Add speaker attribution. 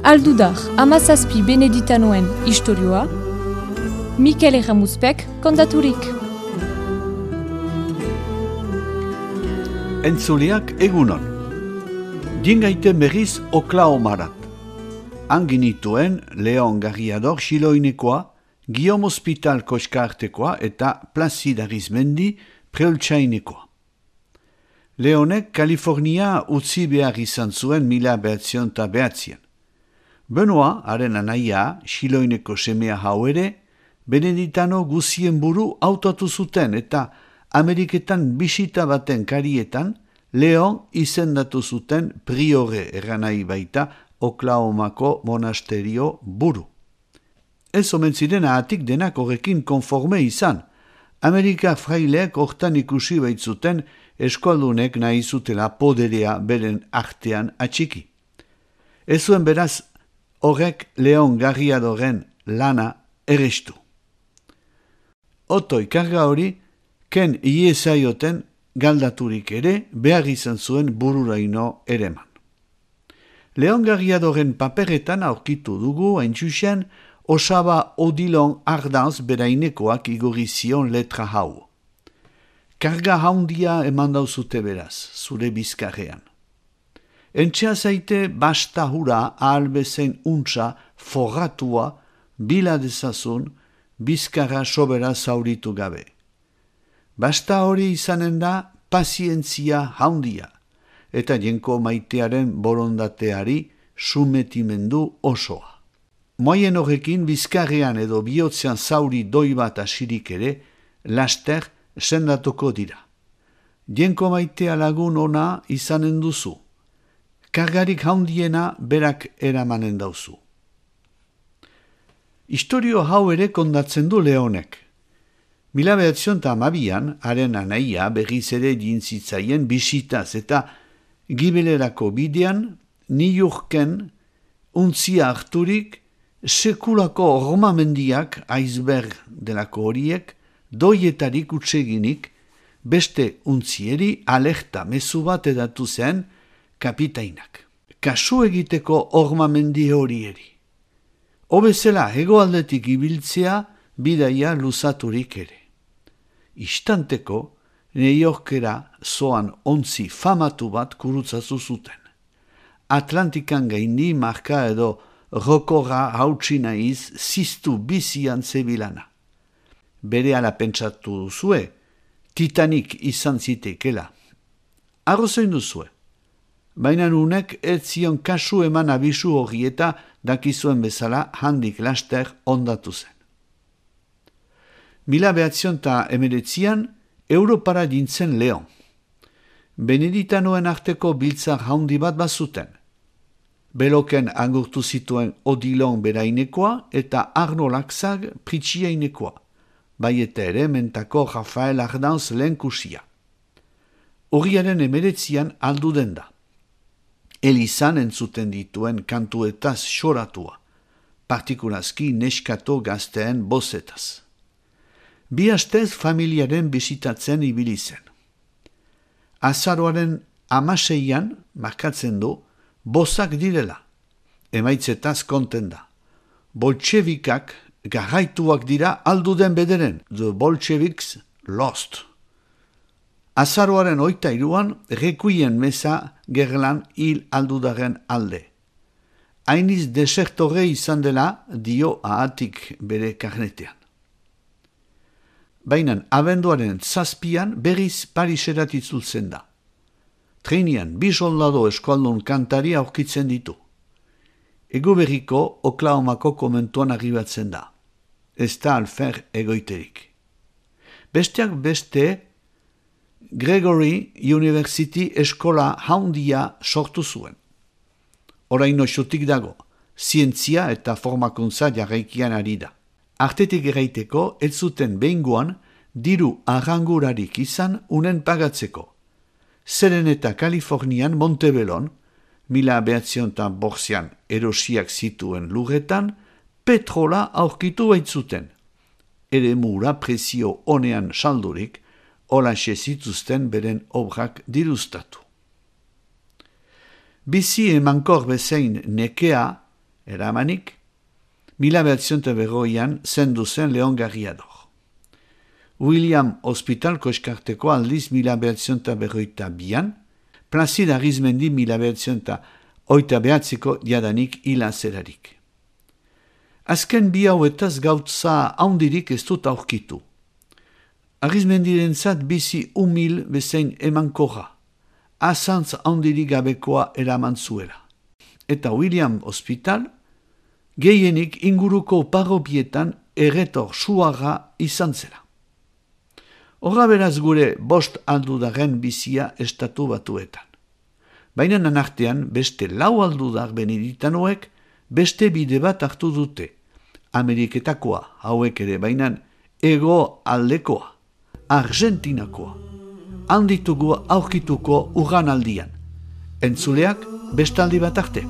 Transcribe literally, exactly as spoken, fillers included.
Speaker 1: Aldudar hamazazpi beneditanoen istorioa, Mikel Erramuzpek kontaturik.
Speaker 2: Entzuleak egunon. Dingaite berriz Oklahomarat. Anginituen Leon Garriador Xiloinekoa, Guillaume Hospital Koskartekoa eta Placide Arizmendi Preoltsainekoa. Leonek Kalifornia utzi behar izan zuen mila behatzion eta behatzien. Benoa, haren anaia, Xiloineko semea hau ere, Beneditano guzien buru hautatu zuten eta Ameriketan bisita baten karietan Leon izendatu zuten priore erranai baita Oklahomako monasterio buru. Ez omen ziren ahatik denak horrekin konforme izan. Amerika fraileek hortan ikusi baitzuten eskualdunek nahi zutela poderea beren artean atxiki. Ez zuen beraz horrek Leon Garriadoren lana errestu. Otoi karga hori, ken iesaioten galdaturik ere behar izan zuen bururaino ereman. Leon Garriadoren paperetan aurkitu dugu haintxusen Osaba Odilon Ardanz berainekoak igorri zion letra hau. Karga haundia eman dauzute beraz, zure bizkarrean. Entxea zaite basta hura ahalbezen untsa forratua bila dezazun bizkarra sobera zauritu gabe. Basta hori izanen da pazientzia haundia, eta jenko maitearen borondateari sumetimendu osoa. Moien horrekin bizkarrean edo bihotzean zauri doi bat asirik ere, laster sendatuko dira. Jenko maitea lagun ona izanen duzu. Kargarik haundiena berak eramanen dauzu. Historio hau ere kondatzen du Leonek. Mila behatzion eta amabian, haren anaia berriz ere jintzitzaien bisitaz eta gibelerako bidean, Niurken untzia harturik, sekulako ormamendiak iceberg delako horiek, doietarik utseginik, beste untzieri alerta mezu bat edatu zen kapitainak. Kasu egiteko ormamendi horieri. Obezela hegoaldetik ibiltzea bidaia luzaturik ere. Istanteko, Neyorkera zoan ontzi famatu bat kurutzazu zuten. Atlantikan gaindi marka edo rokorra hautsi naiz ziztu bizian zebilana. Bere ala pentsatu duzue, Titanic izan zitekela. Arrozoin duzue, baina nunek ez zion kasu eman abisu hori eta dakizuen bezala handik laster ondatu zen. Mila behatzion eta emeretzian, Europara dintzen Leon. Beneditanoen arteko biltzar haundi bat bazuten. Beloken angurtu zituen Odilon berainekoa eta Arno Laxag Pritxiainekoa, bai eta ere mentako Rafael Ardanz lehenkusia. Horriaren emeretzian aldu den da. Elizan entzuten dituen kantuetaz xoratua, partikulazki neskato gazteen bozetaz. Bi astez familiaren bisitatzen ibili zen. Azaroaren amaseian markatzen du bozak direla. Emaitzetaz konten da. Boltxebikak garraituak dira aldu den bederen. The Bolsheviks lost. Azaroaren oita iruan rekuien meza gerlan hil aldudaren alde. Hainiz desertore izan dela dio ahatik bere karnetean. Baina abenduaren zazpian berriz Pariserat itzultzen da. Treinian bi soldado eskualdun kantari aurkitzen ditu. Ego berriko Oklahomako komentuan arribatzen da. Ez da alfer egoiterik. Besteak beste Gregory University eskola haundia sortu zuen. Oraino xutik dago, zientzia eta formakuntza jarraikian ari da. Artetik eraiteko, ez zuten behingoan, diru arrangurarik izan unen pagatzeko. Zeren eta Kalifornian Montebellon, mila behatzion eta borzian erosiak zituen lurretan, petrola aurkitu baitzuten. Ere mura prezio honean saldurik, holaxe zituzten beren obrak dirustatu. Bizi emankor bezain nekea, Eramanik, mila behatzion eta berroian zendu zen Leon Garriador. William Hospitalko eskarteko aldiz mila behatzion eta berroita bian, Plazid Arizmendi mila behatzion eta oita behatziko jadanik hila zerarik. Azken bi hauetaz gautza haundirik ez dut aurkitu. Arizmendirentzat bizi humil bezain emankorra, azantz haundirik gabekoa eraman zuela. Eta William Hospital, gehienik inguruko parrobietan erretor suarra izan zela. Horra beraz gure bost aldudaren bizia estatu batuetan. Baina nanartean beste lau aldudar beneditanoek beste bide bat hartu dute. Ameriketakoa hauek ere bainan ego aldekoa, Argentinakoa. Handitugu aurkituko urran aldian. Entzuleak bestaldi bat arte.